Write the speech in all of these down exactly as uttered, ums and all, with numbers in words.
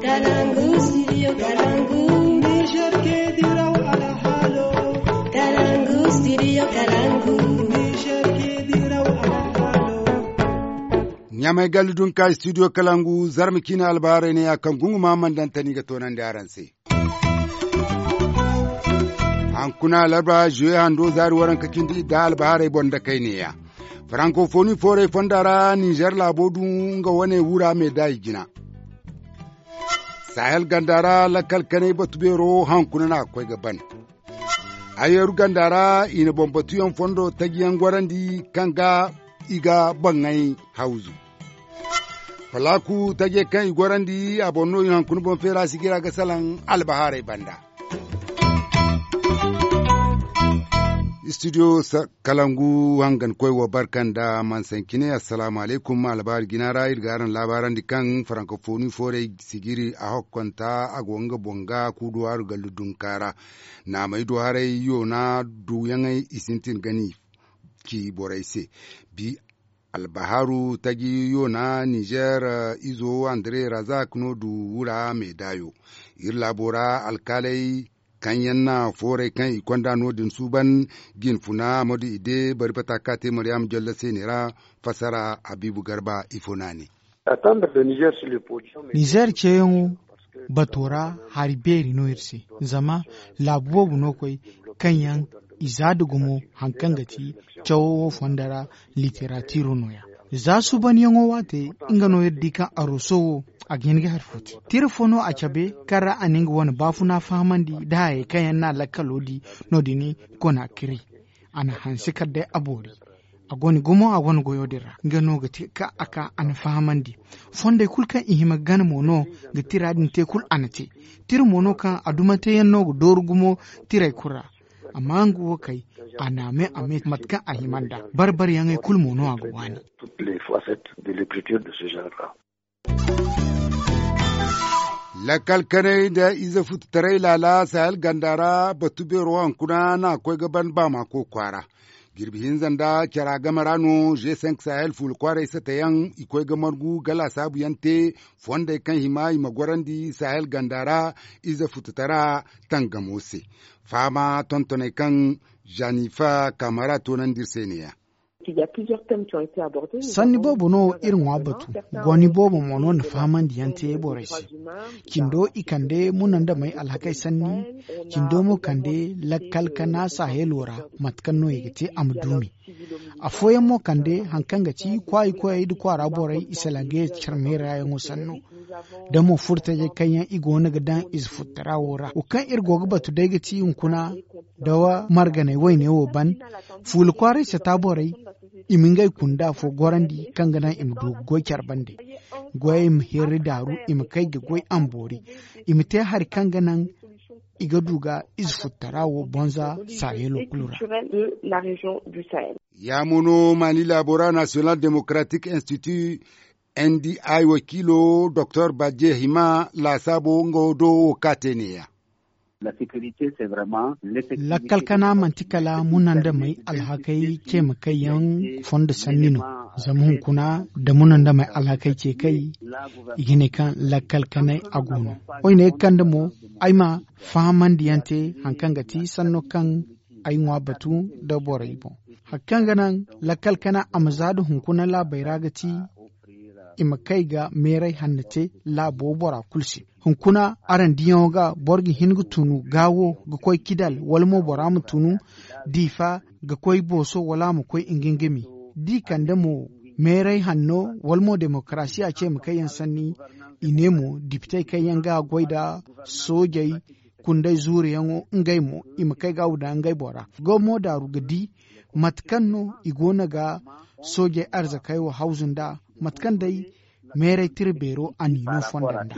Kalangu, studio Kalangu. Niger ke diraw alhalo. Kalangu, studio Kalangu. Niger ke diraw alhalo. Ɲamay gallu dun ka studio Kalangu, zarma ciine albaharay ne ya kaŋ gunguma mandantani ga toonandi araŋ se. Hankuna alarba juwe hando zaari waranka cindi idda albaharay boŋ da kay neeya. Farankofoni fooray fonda ra ninzeer laabo du nga wane wura me da i jina. Sahel ganda ra lakkal kanay batu beero hankuna no a ga koy ga ban. Ayeeru ganda ra i na boŋ batuyaŋ fondo tajiyaŋ gorandi kaŋ ga i ga boŋey hawzu. Falaaku taje kaŋ i gorandi a boŋ no i hankuna boŋ feera sigira ga salaŋ albahaarey banda. Studio kalangu hangan koy wa barka nda mansancine. Assalaamu alaykum albahaari jina ra iri ga araŋ laabaarandi kaŋ farankofoni fooray sijiri a hokkonta a go nga boŋ ga kuuduwaaru gallu dunka ra. Naamey du haray yoona duuyaŋey i sintin ga ni ci borey se. Bi albahaaru taji yoona ninzeer izo andre razak no du wura meedaayo. Iri laabo ra alkaaley kaŋ yaŋ na fooray kaŋ i konda no- din suuban. Jinfuna amadu ide bari bata ka te maryam jolla se ne ra. Fassara habiibu garba ifo no a ne. Nizeer ceeyaŋo bato ra hari beeri no iri se. Zama laabu boobo no koy kaŋ yaŋ i za da gumo hari kaŋ ga ti cawo wo fonda ra literatiiro nooya. Za suubanyaŋo waate nga no iri di kaŋ aroso wo a ga hin ga hari fo te. Tira fo no a cabe kaŋ ra a na nga wane baafuna fahamandi nda hayey kaŋ yaŋ no a lakkalo di. No- din konakiri a na hanse kala day a boori. A go ni gumo a go ni goyo din ra nga no ga ti kaŋ a ka a na fahamandi. Fondey kulu kaŋ i hima ga gana mo no ga tira din te kulu a na te. Tira mo no kaŋ a dumanteyaŋ no ga dooru gumo tirey kulu ra. Amma nga wo kay a na a me a me mate kaŋ a hima nd'a. Barbariyaŋey kulu mo no a ga waani. Lakkal kanay nda ize futu taray laala sahel ganda ra batu beero hankuna no a ga koy ga ban baamaako kwaara. Jirbi hinza nda cara game ra no g cinq sahel fuula kwaaray satayaŋ i koy ga margu ga laasaabuyaŋ te. Fondey kaŋ hima i ma gorandi sahel ganda ra ize futu tara tangamo se. Fahama tontoney kaŋ zanifa kaamara toonandi iri se ne- ya. Sanni boobo no iri ŋwa batu. Gooni boobo mo no na fahamandi yaŋ te borey se. Cindo i kande munandamey alhakey sanni. Cindo mo kande lakkal kana sahelo ra mate kaŋ no i ga te a ma duumi. Afooyaŋ mo kande hari kaŋ ga ti kwaayi koyey nda kwaara borey i salaŋ ga ye carmeera yaŋo sanno. Da mo furtajey kaŋ yaŋ i go no ga daŋ ize futtara wo ra wo kaŋ iri go ga batu day ga ti hunkuna da marganey wayne wo ban. Fuula kwaaray sata borey i ma ngey kunda afo gorandi kaŋ ga naŋ i ma du ga goy care bande. Goyey ma hirri daaru i ma kay ga goy a ma boori. I ma te hari kaŋ ga naŋ i ga du ga ize futtara wo bonza sahelo kulu ra. Ya mo no mali laabo ra national democratic institute n d i wakiilo doktor bajje hima laasaabo nga do wo ka te neeya. Lakkal kana manti kala munandamey alhakey ceema kay yaŋ fondo sanni no. Zama hunkuna da munandamey alhakey ce kay i ga ne kaŋ lakkal kanay a go no. Woy ne ga kande mo ay ma fahamandiyaŋ te hari kaŋ ga ti sanno kaŋ ay ŋwa batu nda borey boŋ. Hari kaŋ ga naŋ lakkal kana a ma za nda hunkuna laabey ra ga ti i ma kay ga meeray hanno te laabo bora kulu se. Hunkuna araŋ diyaŋo ga boro ga hin ga tunu gaawo ga koy kidal wala mo bora ma tunu diifa ga koy booso wala a ma koy ingingimi. Da i kande mo meeray hanno wala mo demokarasiya ce ma kay yaŋ sanni. I ne mo dipitey kaŋ yaŋ ga goy nda soojey kunday zuuriyaŋo ngey mo i ma kay ga wuda ngey bora ga mo daaru ga di mate kaŋ no i go no ga soojey arzakey wo hawzu nd'a mate kaŋ day meeray tira beero a n'i no fonda nd'a.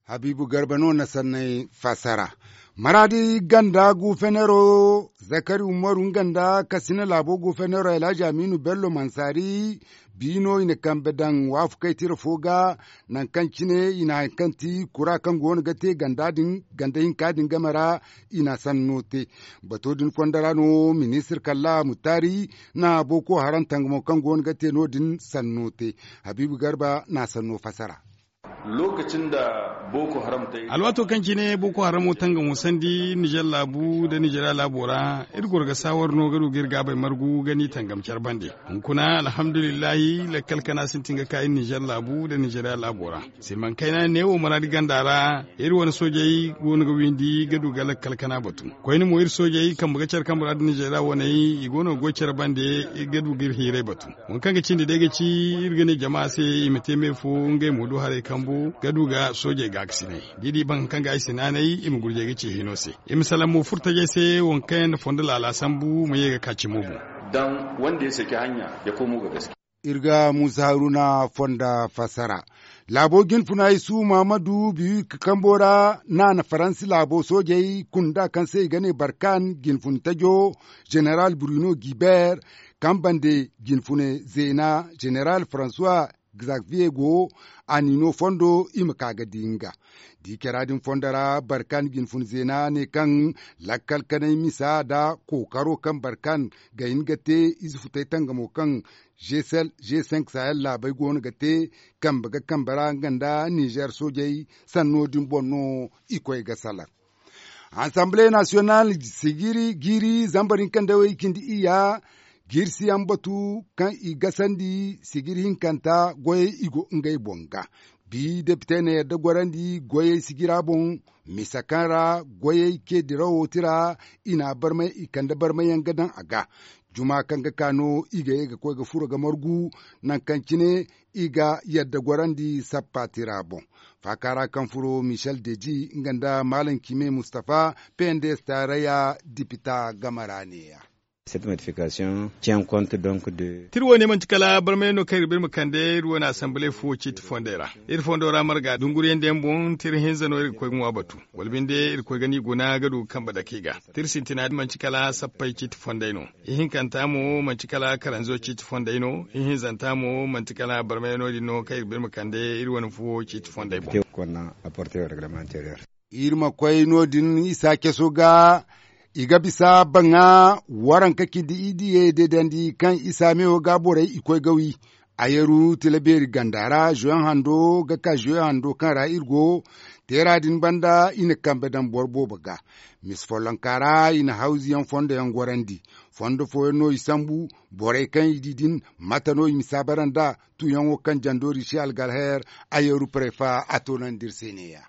Habiibu garba no na sanney fassara. Maraadi ganda gufenero zakari umaru nga nda kasina laabo gufenero alhaji aminu bello mansaari biino i na kambe daŋ waafakey tira fo ga. Nangu kaŋ cine i na hari kaŋ ti kura kaŋ go no ga te ganda din ganda hinka din game ra i na sanno te. Bato din fondo ra no ministir kalla mutaari na boko haram tangamo kaŋ go no ga te no- din sanno te. Habiibu garba na sanno fassara. Lookacin da booko haram te. Alwaato kaŋ cine booko haramo tangamo sandi nizer laabu nda nizeriya laabo ra, iri goro ga saawar no ga du ga iri gaabay margu ga ni tangam care bande. Hunkuna alhamdulillahi lakkal kana sintin ga ka iri nizer laabu nda nizeriya laabo ra. Siman kayna neewo maraadi ganda ra, iri wane soojey go no ga windi ga du ga lakkal kana batu. Koyne mo iri soojey kambe ga care kambe ra nda nizeriya waney i go no ga goy care bande, ga du ga iri hiiray batu. Waŋ kaŋ ga cindi day ga ci, iri ga ne jama se i ma te me fo, ngey mo du haray kambu ga du ga soojey gaakasinay. Da i di baŋ kaŋ ga ay sinaanay i ma gurjey ga ci hino se. I ma salaŋ mo furtajey se waŋ kaŋ yaŋ na fondo laala sambu ma ye ga ka cimo boŋ. Dan wanda ya saki hanya ya komo ga gaske. Iri ga muusa haruna fonda fassara. Laabo jinfuna isu mahamadu biyu ka kambo ra na na faransi laabo soojey kunda kaŋ se i ga ne barkan jinfun tajo, jeneral bruno gilbert, kaŋ bande jinfune zeena jeneral françois xavier go, a n'i no fondo i ma ka ga di nga. Di cara din fondo ra barkan jinfun zeena ne kaŋ lakkal kanay misa nda kookaro kaŋ barkan ga hin ga te ize futay tangamo kaŋ g cinq sahel laabey go no ga te kambe ga kambe ra nga nda nizer soojey sanno din boŋ no i koy ga salaŋ. Assemble national sigiri jiiri zambar hinka nda way cindi iyya, jiiri siyaŋ batu kaŋ i gasandi sigiri hinkanta goyey i go ngey boŋ ga. Bi depite na yadda gorandi goyey sigira boŋ, misa kaŋ ra goyey ce dirawo tira i na a barmay i kande barmay yaŋ ga daŋ a ga. Juma kaŋ ga ka no i ga ye ga koy ga furo ga margu nangu kaŋ cine i ga yadda gorandi sappa tira boŋ. Faaka ra kaŋ furo michel deji nga nda malam kime mustafa pnds tarayya dipita game ra neeya. Cette modification tient compte donc de. Tiri wo ne manti kala barmay no kaŋ iri ba iri ma kande iri wo ne asamble fo ciiti fondey ra. Iri fondo ra marga dunguriyaŋ da yaŋ boŋ tiri hinza no iri ga koy ga ŋwa batu wala binde iri koy ga ni guna ga du ga kambe dake ga. Tiri sintina manti kala sappey ciiti fondey no. Ihinkanta mo manti kala karanzo ciiti fondey no. Ihinzanta mo manti kala barmay no- din no kaŋ iri ba iri ma kande iri wane fuwo ciiti fondey boŋ. Iri ma koy no- din isa caso ga. I ga bisa baŋa waranka cindi i diye deedandi kaŋ isa meewo ga borey i koy ga wi. Ayaru tila beeri ganda ra zoyaŋ hando ga ka zoyaŋ hando kaŋ ra iri go. Teera din banda i na kambe daŋ boro boobo ga. Misi follonka ra i na hawzu yaŋ fondo yaŋ gorandi. Fondo fooyaŋ no i sambu. Borey kaŋ i di din mate no i ma saabara nd'a tuuyaŋo kaŋ jando riisi algalher. Ayaru prefa a toonandi iri se neeya.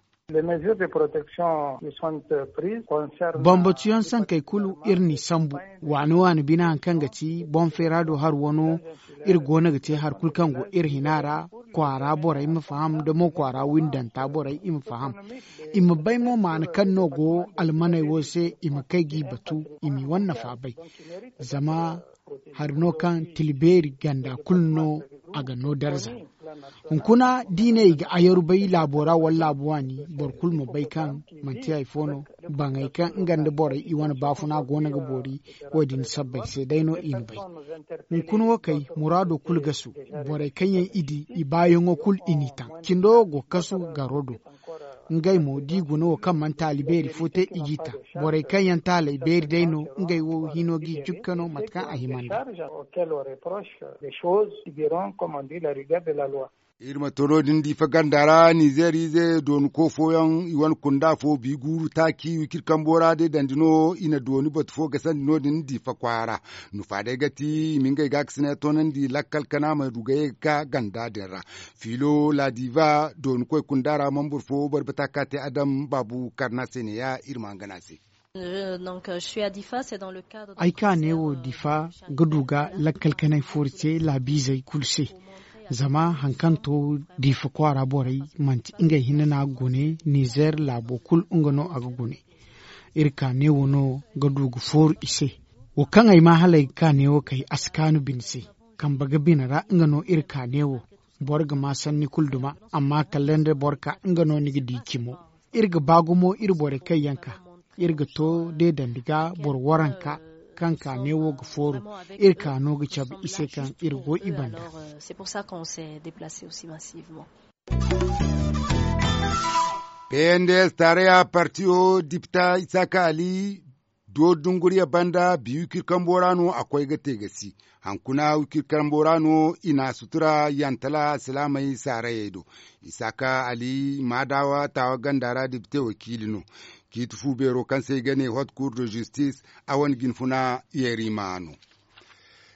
Bambatuyaŋ sankey kulu iri n'i sambu. Waani waani bine hari kaŋ ga ti boŋ feera do hari wano. Iri go no ga te hari kulu kaŋ go iri hina ra. Kwaara borey ma faham da mo kwaara windanta borey i ma faham. I ma bay mo maana kaŋ no go almaney wo se i ma kay g'i batu i m'i wane nafa bay. Zama hari no kaŋ tila beeri ganda kulu no a ga no darza. Hunkuna da i ne i ga ayaru bay laabo ra wala laabu waani boro kulu ma bay kaŋ manti hari fo no. Baŋey kaŋ nga nda borey i wane baafuna go no ga boori. Wo- din sabbay se day no i na bay. Hunkuna wo kay muraado kulu gasu. Borey kaŋ yaŋ i di i baayaŋo kulu i n'i taŋ cindo wo go kasu garo do. Ngey mo da i guna wo kaŋ mana taali beeri fo te i g'i taŋ. Borey kaŋ yaŋ taaley beeri day no ngey wo hino g'i jukka no mate kaŋ a hima nd'a. Iri ma to no- din diifa ganda ra nizeer ize dooni ko fooyaŋ i wane kunda fo bi guuru taaci wiciri kambo ra day dandi no i na dooni batu fo gasandi no- din diifa kwaara. Nufa day ga ti i ma ngey gaakasinay toonandi lakkal kana ma du ga ye ga ka ganda din ra. Fiilo laadiva dooni koy kunda ra mambur fo boro bata ka te adam baabu karna se ne ya iri ma hangana se. Ay ka neewo difa ga du ga lakkal kanay fooru te laabiizey kulu se. Zama hari kaŋ to difa kwaara borey manti ngey hinne no a ga gune nizeer laabo kulu nga no a ga gune. Iri ka neewo no ga du ga fooru i se. Wo kaŋ ay ma hala ay ga ka neewo kay a si kaanu bine se. Kambe ga bine ra nga no iri ka neewo. Boro ga ma sanni kulu duma. Amma kala nda boro ka nga no ni ga di cimo. Iri ga ba gumo iri borey kaŋ yaŋ ka. Iri ga to deedandi ga boro waranka kaŋ ka neewo ga fooru. Iri ka no ga cabe i se kaŋ iri go i banda. Pnds taaraya partiyo dipita isaaka ali. Yo dunguriya banda bi wikir kambo ra no a koy ga te ga si. Hankuna wikir kambo ra no i na a sutura yantala alsilaamey saarayey do. Isaaka ali maadawa taawa ganda ra dibite wakiili no. Ciiti fu beero kaŋ se i ga ne hot cour de justice a wane jinfuna yeeriima no.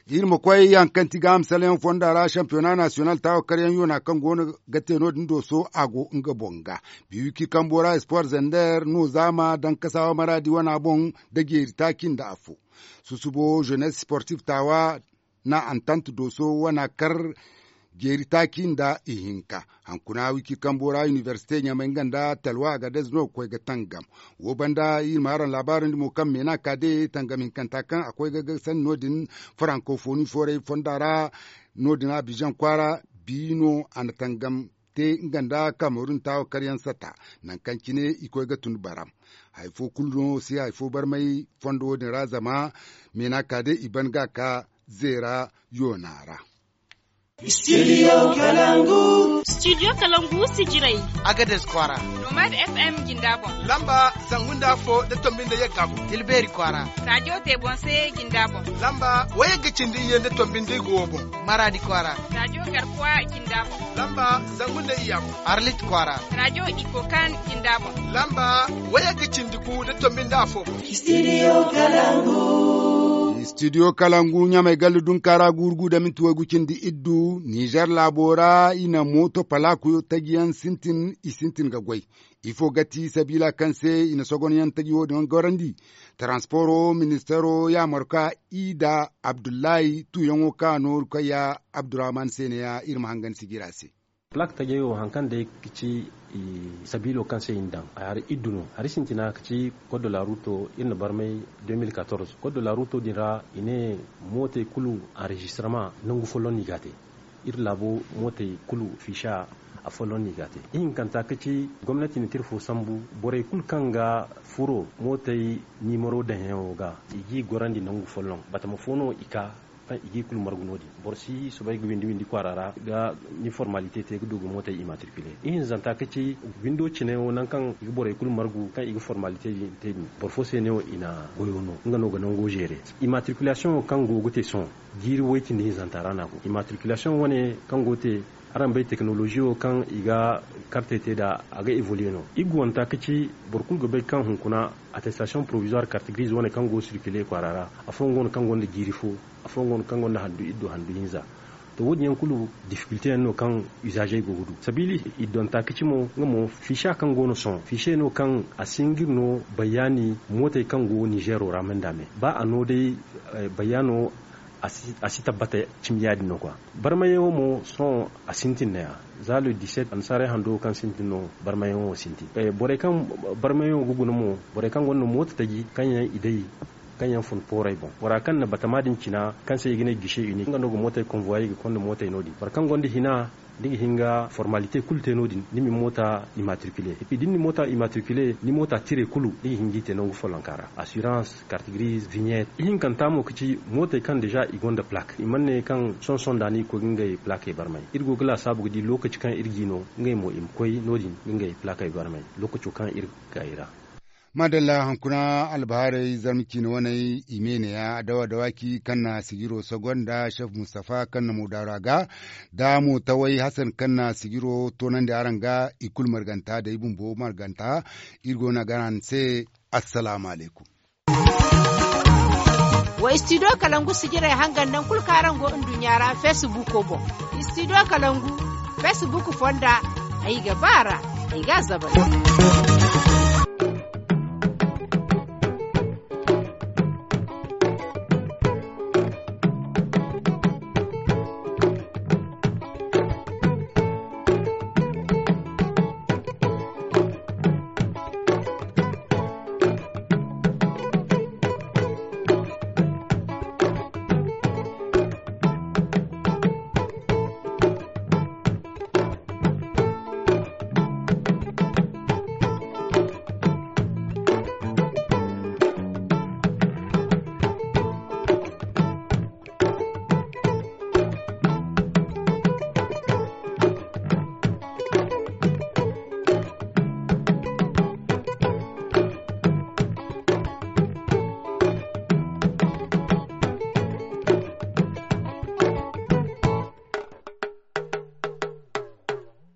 Iri ma koy yaŋ kaŋ ti ga a ma salayaŋ fonda ra shampiyona nasiyonal taawakaryaŋ yoona kaŋ go no ga te no- din dooso a go nga boŋ ga. Biwiki kambo ra espoir zender no zaama daŋ kasaawa maraadi wana boŋ nda jeeri taaci nda afo. Susubo jeunesse sportif taawa na antant dooso wana kar jeeri taaci nda ihinka. Hankuna wiki kambo ra inibersite ɲamay nga nda talwa agadez no ga koy ga tangam. Wo banda iri ma araŋ laabaarandi mo kaŋ meena ka de tangam hinkanta kaŋ a koy ga ga sanni no- din farankofoni fooray fonda ra. No- din abizaŋ kwaara bi no a na tangam te nga nda kamerun taawa karyaŋ sata. Nangu kaŋ cine i koy ga tun baram. Hari fo kulu no si hari fo barmay fondo wo- din ra zama meena ka de i ban ga ka zeera yoona ra. Studio kalangu. Studio kalangu sijirey. Agadez kwaara. Nomad fm jinda boŋ. Lamba zangu nda afo nda tombi nda yagga boŋ. Tilbeeri kwaara. Rajo te boŋ se jinda boŋ. Lamba wayagga cindi iyye nda tombi nda igo wo boŋ. Maraadi kwaara. Rajo garkuwa jinda boŋ. Lamba zangu nda iyya boŋ. Arlit kwaara. Rajo ikokan jinda boŋ. Lamba wayagga cindi gu nda tombi nda afo boŋ. Studio kalangu. Studio kalangu ɲamay gallu dunkaara guuru gu da minti waygu cindi iddu nizer laabo ra i na mooto palaaku tajiyaŋ sintin i sintin ga goy. Ifo ga ti sabiila kaŋ se i na sogonyaŋ taji wo- din gorandi. Taransporo ministero yaamar ka i da abdullahi tuuyaŋo ka nooru kayya abdurrahman se ne ya iri ma hangan sijira se. Plak tajey wo hari kaŋ day ga ci sabiilo kaŋ se i na daŋ hari iddu no hari sintina ga ci koddo laaruto iri na barmay. Koddo laaruto din ra i ne mootey kulu anrezistirama nangu folloŋ no i ga a te. Iri laabo mootey kulu fiisa afolloŋ no i ga a te. Ihinkanta ga ci gomnati na tira fo sambu borey kulu kaŋ ga furo mootey niimaro daŋyaŋo ga i g'i gorandi nangu folloŋ batama fo no i ka kaŋ i g'i kulu margu no- din. Boro si soobay ga windi windi kwaara ra ga ni formalite te ga du ga mootey imatrikule. Ihinzanta ga ci windo cine wo nangu kaŋ i ga borey kulu margu kaŋ i ga formalite din te din boro fo se ne wo i na goyo no nga no ga nango zeere. Imatrikulasiyoŋo kaŋ go ga te sohõ jiiri way-cindi hinzanta ra no a go imatrikulasiyoŋ wane kaŋ go ga te araŋ bay tekinolozi wo kaŋ i ga kartey te nd'a a ga evoluye no. Iri ga wanta ga ci boro kulu ga bay kaŋ hunkuna attestasiyoŋ porovizuwar kartigiriize wane kaŋ go ga sirkile kwaara ra. Afooyaŋ go no kaŋ gonda jiiri fo. Afooyaŋ go no kaŋ gonda handu iddu handu hinza. To wo- din yaŋ kulu difikilte yaŋ no kaŋ izaazey go ga du sabiili iddonta ga ci mo nga mo fiisa kaŋ go no sohõ fiise no kaŋ a si hin ga iri no bayaani mootey kaŋ go nizeero ra me nda me ba a no day bayaano a si tabbata cimi ya- din no kwa. Barmayaŋo mo sohõ a sintin no ya za le disept annasaarey hando kaŋ sintin no barmayaŋo sintin. Borey kaŋ barmayaŋo ga guna mo borey kaŋ gonda mooto taji kaŋ yaŋ i day kaŋ yaŋ fun pooray boŋ bora kaŋ na batama din cina kaŋ se i ga ne gise uni nga no ga mootey konvoye ga konda mootey no- din boro kaŋ gonda hina ni ga hin ga formalite kulu te no- din ni ma ni moota imatrikule. Epi da ni na ni moota imatrikule ni moota tire kulu ni ga hin ga i te nangu follonka ra asirans kartigiriize vignette ihinkanta mo ga ci mootey kaŋ deeza i gonda plak i mana ne kaŋ sohõ sohõ nda no i ga koy ga ngey plakey barmay. Iri go ga laasaabu ga di lookaci kaŋ iri g'i no ngey mo i ma koy no- din ga ngey plakey barmay lookaco kaŋ iri ga kay ra. Maadalla hunkuna albahaarey zarma ciine waney i me neeya dawa dawaaki kaŋ na sijiro sogonda chef mustafa kaŋ na mo daaru a ga da mo taway hasan kaŋ na sijiro toonandi araŋ ga i kulu marganta da i bumbo marganta. Iri go no a gana ni se. Assalaamu alaykum. Wa istidiyo kalangu sijirey hangan naŋ kulu kaŋ araŋ go nduɲɲa ra feesibuuko boŋ. Istidiyo kalangu feesibuuko fonda ay ga ba a ra ay ga a zabari.